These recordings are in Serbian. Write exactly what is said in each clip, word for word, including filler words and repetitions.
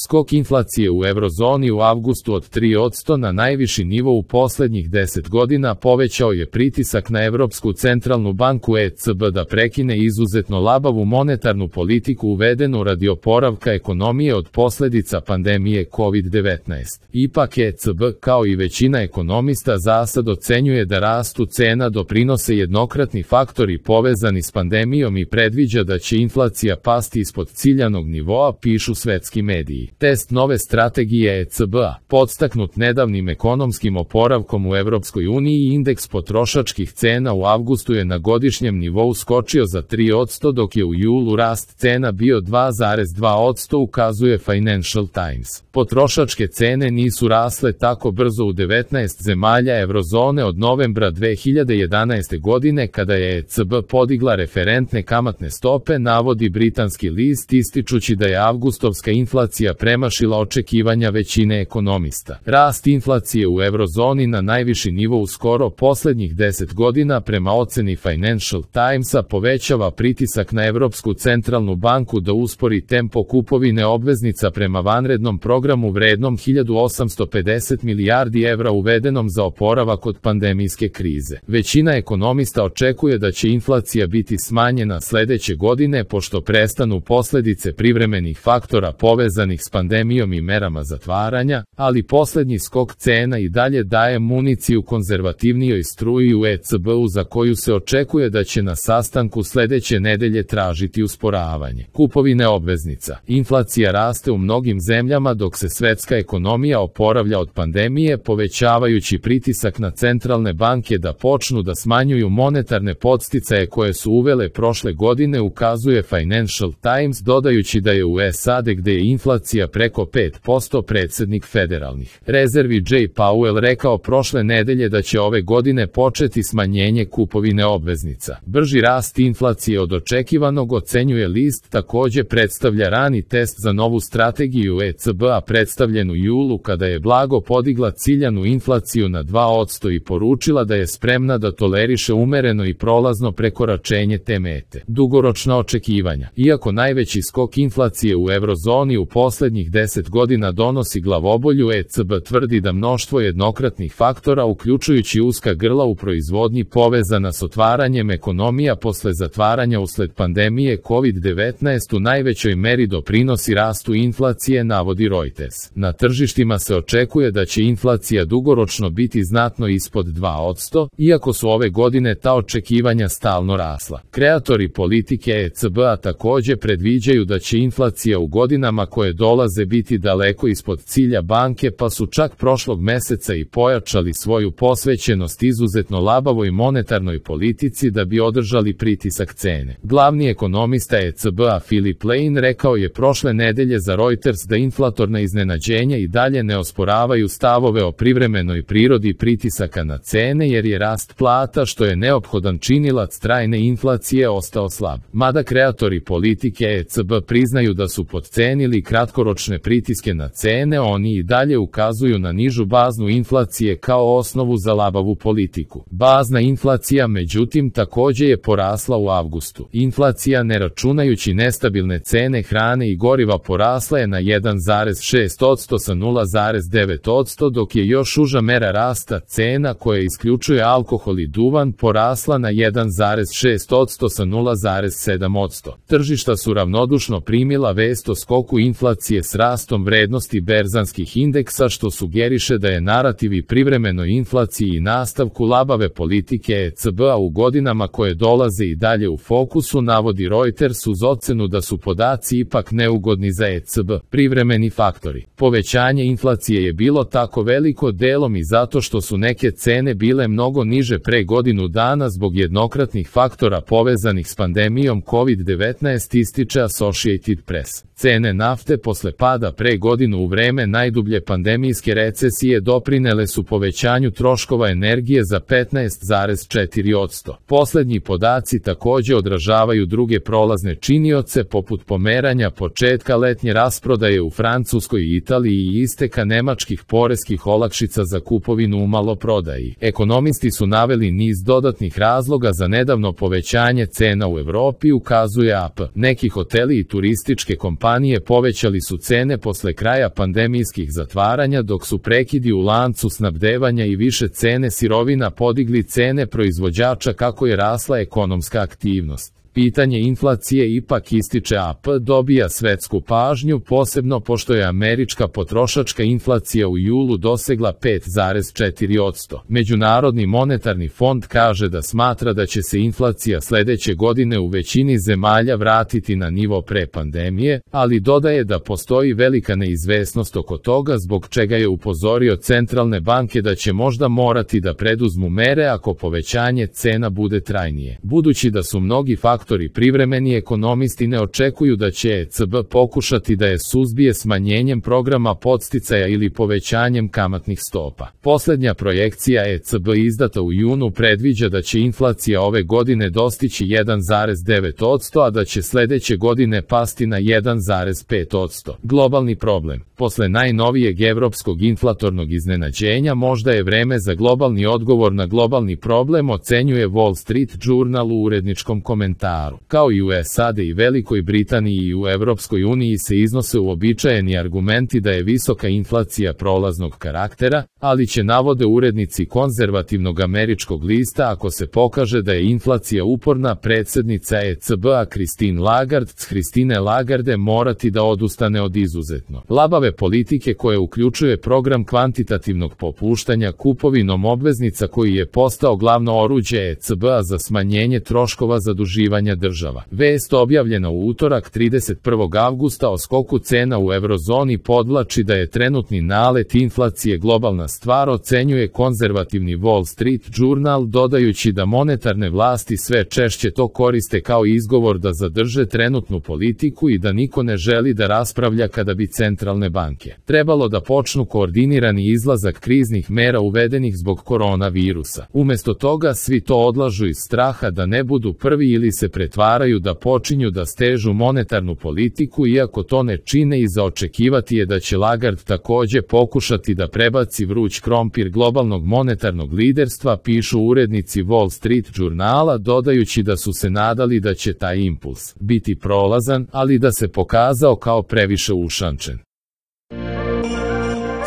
Skok inflacije u eurozoni u avgustu od tri posto na najviši nivo u poslednjih deset godina povećao je pritisak na Evropsku centralnu banku E C B da prekine izuzetno labavu monetarnu politiku uvedenu radi oporavka ekonomije od posledica pandemije kovid devetnaest. Ipak E C B, kao i većina ekonomista, zasad ocenjuje da rastu cena doprinose jednokratni faktori povezani s pandemijom i predviđa da će inflacija pasti ispod ciljanog nivoa, pišu svetski mediji. Test nove strategije E C B-a, podstaknut nedavnim ekonomskim oporavkom u Evropskoj uniji i indeks potrošačkih cena u avgustu je na godišnjem nivou skočio za tri posto, dok je u julu rast cena bio dva zarez dva posto, ukazuje Financial Times. Potrošačke cene nisu rasle tako brzo u devetnaest zemalja eurozone od novembra dve hiljade jedanaeste godine, kada je E C B podigla referentne kamatne stope, navodi britanski list, ističući da je avgustovska inflacija premašila očekivanja većine ekonomista. Rast inflacije u eurozoni na najviši nivo u skoro poslednjih deset godina, prema oceni Financial Timesa, povećava pritisak na Evropsku centralnu banku da uspori tempo kupovine obveznica prema vanrednom programu vrednom hiljadu osamsto pedeset milijardi evra uvedenom za oporavak od pandemijske krize. Većina ekonomista očekuje da će inflacija biti smanjena sledeće godine pošto prestanu posledice privremenih faktora povezanih s pandemijom i merama zatvaranja, ali poslednji skok cena i dalje daje municiju konzervativnijoj struji u E C B-u, za koju se očekuje da će na sastanku sledeće nedelje tražiti usporavanje kupovine obveznica. Inflacija raste u mnogim zemljama dok se svetska ekonomija oporavlja od pandemije, povećavajući pritisak na centralne banke da počnu da smanjuju monetarne podsticaje koje su uvele prošle godine, ukazuje Financial Times, dodajući da je u S A D, gde je inflacija preko pet posto, predsednik federalnih rezervi Jay Powell rekao prošle nedelje da će ove godine početi smanjenje kupovine obveznica. Brži rast inflacije od očekivanog, ocenjuje list, takođe predstavlja rani test za novu strategiju E C B-a predstavljenu u julu, kada je blago podigla ciljanu inflaciju na dva posto i poručila da je spremna da toleriše umereno i prolazno prekoračenje te mete. Dugoročna očekivanja. Iako najveći skok inflacije u eurozoni u poslednjih deset godina donosi glavobolju, E C B tvrdi da mnoštvo jednokratnih faktora, uključujući uska grla u proizvodnji povezana s otvaranjem ekonomija posle zatvaranja usled pandemije kovid devetnaest, u najvećoj meri doprinosi rastu inflacije, navodi Reuters. Na tržištima se očekuje da će inflacija dugoročno biti znatno ispod dva posto, iako su ove godine ta očekivanja stalno rasla. Kreatori politike E C B-a takođe predviđaju da će inflacija u godinama koje dolaze biti daleko ispod cilja banke, pa su čak prošlog meseca i pojačali svoju posvećenost izuzetno labavoj monetarnoj politici da bi održali pritisak cene. Glavni ekonomista E C B-a Philip Lane rekao je prošle nedelje za Reuters da inflatorna iznenađenja i dalje ne osporavaju stavove o privremenoj prirodi pritisaka na cene, jer je rast plata, što je neophodan činilac trajne inflacije, ostao slab. Mada kreatori politike E C B priznaju da su podcenili kratkoročne pritiske na cene, oni i dalje ukazuju na nižu baznu inflacije kao osnovu za labavu politiku. Bazna inflacija, međutim, takođe je porasla u avgustu. Inflacija, ne računajući nestabilne cene hrane i goriva, porasla je na jedan zarez šest posto sa nula zarez devet posto, dok je još uža mera rasta cena, koja isključuje alkohol i duvan, porasla na jedan zarez šest posto sa nula zarez sedam posto. Tržišta su ravnodušno primila vest o skoku inflacije s rastom vrednosti berzanskih indeksa, što sugeriše da je narativ i privremenoj inflaciji i nastavku labave politike E C B-a u godinama koje dolaze i dalje u fokusu, navodi Reuters, uz ocenu da su podaci ipak neugodni za E C B. Privremeni faktori. Povećanje inflacije je bilo tako veliko delom i zato što su neke cene bile mnogo niže pre godinu dana zbog jednokratnih faktora povezanih s pandemijom kovid devetnaest, ističe Associated Press. Cene nafte posle pada pre godinu u vreme najdublje pandemijske recesije doprinele su povećanju troškova energije za petnaest zarez četiri posto. Poslednji podaci takođe odražavaju druge prolazne činioce, poput pomeranja početka letnje rasprodaje u Francuskoj i Italiji i isteka nemačkih poreskih olakšica za kupovinu u maloprodaji. Ekonomisti su naveli niz dodatnih razloga za nedavno povećanje cena u Evropi, ukazuje A P. Neki hoteli i turističke kompanije kompanije povećali su cene posle kraja pandemijskih zatvaranja, dok su prekidi u lancu snabdevanja i više cene sirovina podigli cene proizvođača kako je rasla ekonomska aktivnost. Pitanje inflacije ipak ističe A P dobija svetsku pažnju, posebno pošto je američka potrošačka inflacija u julu dosegla pet zarez četiri posto. Međunarodni monetarni fond kaže da smatra da će se inflacija sledeće godine u većini zemalja vratiti na nivo pre pandemije, ali dodaje da postoji velika neizvesnost oko toga, zbog čega je upozorio centralne banke da će možda morati da preduzmu mere ako povećanje cena bude trajnije. Budući da su mnogi faktori Faktori privremeni, ekonomisti ne očekuju da će E C B pokušati da je suzbije smanjenjem programa podsticaja ili povećanjem kamatnih stopa. Poslednja projekcija E C B izdata u junu predviđa da će inflacija ove godine dostići jedan zarez devet posto, a da će sledeće godine pasti na jedan zarez pet posto. Globalni problem. Posle najnovijeg evropskog inflatornog iznenađenja možda je vreme za globalni odgovor na globalni problem, ocenjuje Wall Street Journal u uredničkom komentaru. Kao i u S A D i Velikoj Britaniji i u Evropskoj uniji se iznose uobičajeni argumenti da je visoka inflacija prolaznog karaktera, ali će, navode urednici konzervativnog američkog lista, ako se pokaže da je inflacija uporna, predsednica E C B-a Christine Lagarde, Christine Lagarde morati da odustane od izuzetno labave politike koja uključuje program kvantitativnog popuštanja kupovinom obveznica koji je postao glavno oruđe E C B-a za smanjenje troškova zaduživanja država. Vest objavljena u utorak trideset prvog avgusta o skoku cena u eurozoni podvlači da je trenutni nalet inflacije globalna stvar, ocenjuje konzervativni Wall Street Journal, dodajući da monetarne vlasti sve češće to koriste kao izgovor da zadrže trenutnu politiku i da niko ne želi da raspravlja kada bi centralne banke trebalo da počnu koordinirani izlazak kriznih mera uvedenih zbog koronavirusa. Umesto toga svi to odlažu iz straha da ne budu prvi ili se pretvaraju da počinju da stežu monetarnu politiku, iako to ne čine, i za očekivati je da će Lagarde takođe pokušati da prebaci vruć krompir globalnog monetarnog liderstva, pišu urednici Wall Street Journala, dodajući da su se nadali da će taj impuls biti prolazan, ali da se pokazao kao previše ušančen.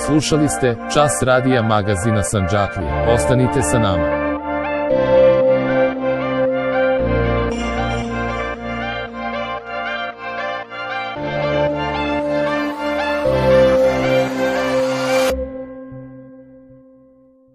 Slušali ste Čas radija magazina Sandžaklija. Ostanite sa nama.